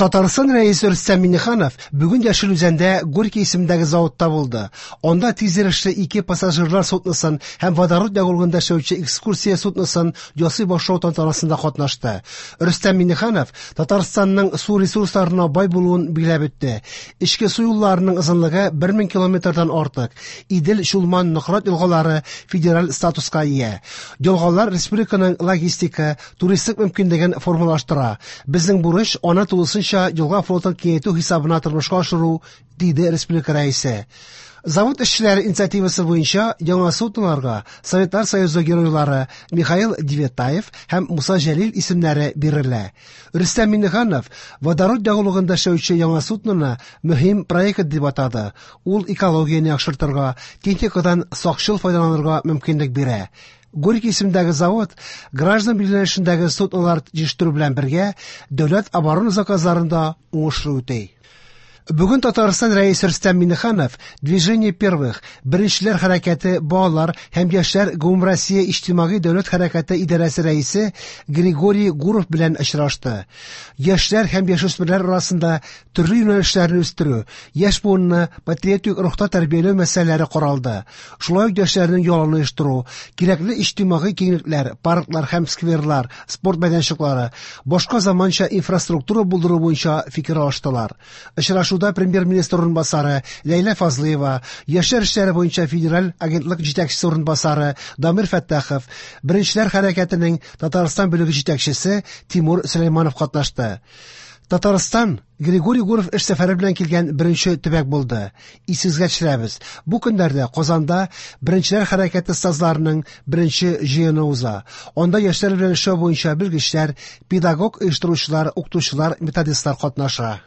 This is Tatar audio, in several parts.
Татарстан Рәисе Рөстәм Миңнеханов бүген Яшел Үзәндә Горький исемендәге заводта булды. Анда тизйөрешле ике пассажирлар судносын һәм водород ягулыгында эшләүче экскурсия судносын ясый башлау тантанасында катнашты. Рөстәм Миңнеханов Татарстанның су ресурсларына бай булуын билгеләп үтте. Эчке су юлларының озынлыгы 1000 километрдан артык. Идел, Чулман, Нократ елгалары федераль статуска ия. Елгалар республиканың логистика, туристик мөмкинлеген формалаштыра. Безнең бурыч аны тулысынча елга флотын киңәйтү хисабына тормышка ашыру, диде республика рәисе. Завод эшчеләре инициативасы буенча яңа судноларга Советлар Союзы геройлары Михаил Девятаев һәм Муса Җәлил исемнәре бирелә. Рөстәм Миңнеханов водород ягулыгында эшләүче яңа судноны мөһим проект дип атады. Ул экологияне яхшыртырга, техникадан сакчыл файдаланырга мөмкинлек бирә. Горький исемендәге завод граждан билгеләнешендәге суднолар җитештерү белән бергә дәүләт оборона заказларын да уңышлы үти. Бүген Татарстан Рәисе Рөстәм Миңнеханов Движение первых, Беренчеләр хәрәкәте балалар һәм яшьләр гомумроссия иҗтимагый дәүләт хәрәкәте идарәсе рәисе Григорий Гуров белән очрашты. Яшьләр һәм яшүсмерләр арасында төрле юнәлешләрне үстерү, яшь буынны патриотик рухта тәрбияләү мәсьәләләре каралды. Шулай ук яшьләрнең ялын оештыру, кирәкле иҗтимагый киңлекләр, парклар һәм скверлар, спорт мәйданчыклары, башка заманча инфраструктура булдыру буенча фикер алыштылар. Очрашуда премьер-министр урынбасары Ләйлә Фазлыева, яшьләр эшләре буенча федераль агентлык җитәкчесе урынбасары Дамир Фәттахов, Беренчеләр хәрәкәтенең Татарстан бүлеге җитәкчесе Тимур Сөләйманов катнашты. Татарстан Григорий Гуров эш сәфәре белән килгән беренче төбәк булды. Исегезгә төшерәбез. Бу көннәрдә Казанда Беренчеләр хәрәкәте остазларының беренче җыены уза. Анда яшьләр белән эшләү буенча белгечләр, педагог оештыручылар, укытучылар, методистлар катнаша.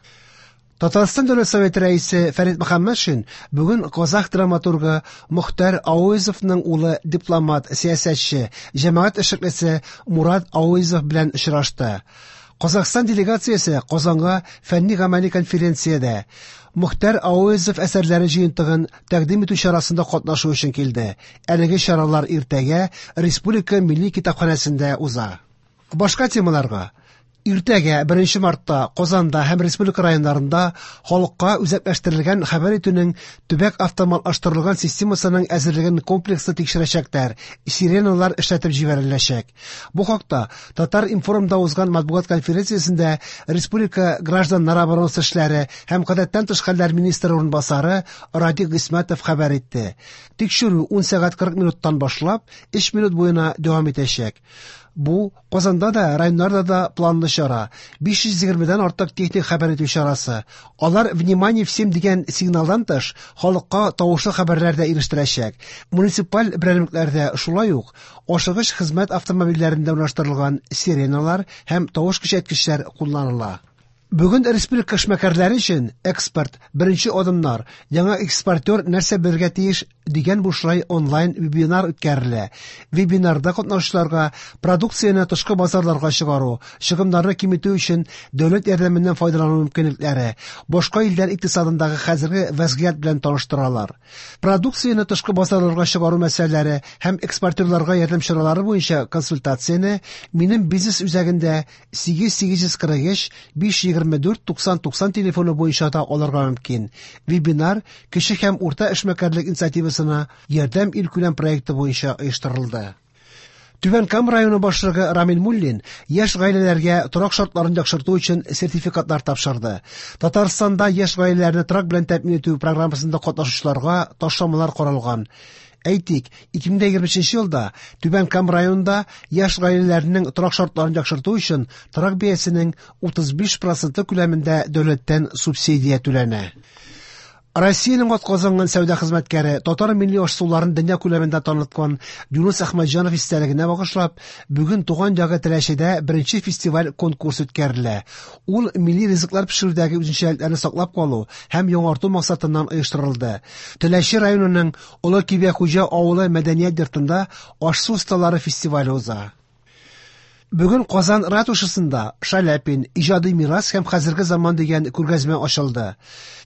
Татарстан Дәүләт Советы рәисе Фәрит Мөхәммәтшин бүген казах драматургы Мохтар Ауэзовның улы дипломат, сәясәтче, җәмәгать эшлеклесе Мурат Ауэзов белән очрашты. Казахстан делегациясе Казанга фәнни-гамәли конференциядә Мохтар Ауэзов әсәрләре җыентыгын тәкъдим итү чарасында катнашу өчен килде. Әлеге чаралар иртәгә Республика милли китапханәсендә уза. Башка темаларга Иртәгә 1 мартта Казанда һәм республика районнарында халыкка үзәкләштерелгән хәбәр итүнең төбәк автоматлаштырылган системасының әзерлеген комплекслы тикшерәчәкләр, сиреналар эшләтеп җибәреләчәк. Бу хакта Татар-информда узган матбугат конференциясендә республика гражданнар оборонасы эшләре һәм гадәттән тыш хәлләр министры урынбасары Радик Гыйсмәтов хәбәр итте. Тикшерү 10 сәгать 40 минуттан башлап 3 минут буена дәвам итәчәк. Бу Казанда да, районнарда да планлы чара. 520дән артык техник хәбәр итү чарасы. Алар «Внимание всем» дигән сигналдан тыш, халыкка тавышлы хәбәрләр дә ирештерәчәк. Муниципаль берәмлекләрдә шулай ук ашыгыч хезмәт автомобильләрендә урнаштырылган сиреналар һәм тавыш көчәйткечләр кулланыла. Бүген республика эшмәкәрләре өчен экспорт, беренче адымнар, яңа экспортер нәрсә белергә тиеш дигән бушлай онлайн вебинар үткәрелә. Вебинарда катнашучыларга продукцияне тышкы базарларга чыгару, чыгымнарны киметү өчен дәүләт ярдәменнән файдалану мөмкинлекләре, башка илләр икътисадындагы хәзерге вәзгыять белән таныштыралар. Продукцияне тышкы базарларга чыгару мәсьәләләре һәм экспортерларга ярдәм чаралары буенча консультацияне Минем бизнес үзәгендә 8843 524 90 90 телефоны буенча да алырга мөмкин. Вебинар кече һәм урта эшмәкәрлек инициативасына ярдәм илкүләм проекты буенча оештырылды. Түбән Кама районы башлыгы Рамил Муллин яшь гаиләләргә торак шартларын яхшырту өчен сертификатлар тапшырды. Татарстанда яшь гаиләләрне торак белән тәэмин итү программасында катнашучыларга ташламалар каралган. Әйтик, 2023 елда Түбән Кама районында яшь гаиләләрнең торак шартларын яхшырту өчен торак бәясенең 35% күләмендә дәүләттән субсидия түләнә. Россиянең атказанган сәүдә хезмәткәре, татар милли аш-суларын дөнья күләмендә таныткан Юныс Әхмәтҗанов истәлегенә багышлап, бүген туган ягы Теләчедә беренче фестиваль конкурс үткәрелә. Ул милли ризыклар пешерүдәге үзенчәлекләрне саклап калу һәм яңарту максатыннан оештырылды. Теләче районының Олы Кибәхуҗа авылы мәдәният йортында аш-су осталары фестивале уза. Бүген Казан ратушасында Шаляпин: иҗади мирас һәм хәзерге заман дигән күргәзмә ачылды.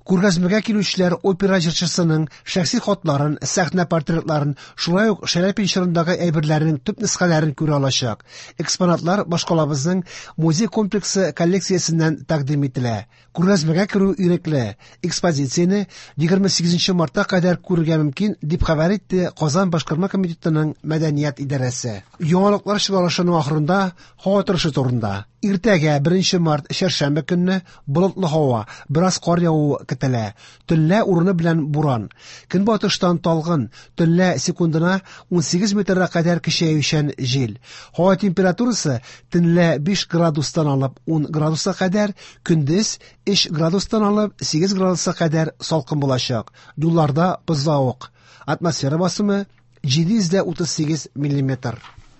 Күргәзмәгә килүчеләр опера җырчысының шәхси хатларын, сәхнә портретларын, шулай ук Шаляпин чорындагы әйберләрнең төп нөсхәләрен күрә алачак. Экспонатлар башкалабызның музей комплексы коллекциясеннән тәкъдим ителә. Күргәзмәгә керү ирекле. Экспозицияне 28 мартка кадәр күрергә мөмкин, дип хәбәр итте Казан башкарма комитетының мәдәният идарәсе. Яңалыклар чыгарылышының ахырында һава торышы турында. Иртәгә 1 март чәршәмбе көнне болытлы һава, бераз кар явуы көтелә. Төнлә урыны белән буран. Көнбатыштан талгын, төнлә секундына 18 метрга кадәр көчәючән җил. Һава температурасы төнлә 5 градустан алып 10 градуска кадәр, көндез 3 градустан алып 8 градуска кадәр салкын булачак. Юлларда бозлавык. Атмосфера басымы 738 миллиметр.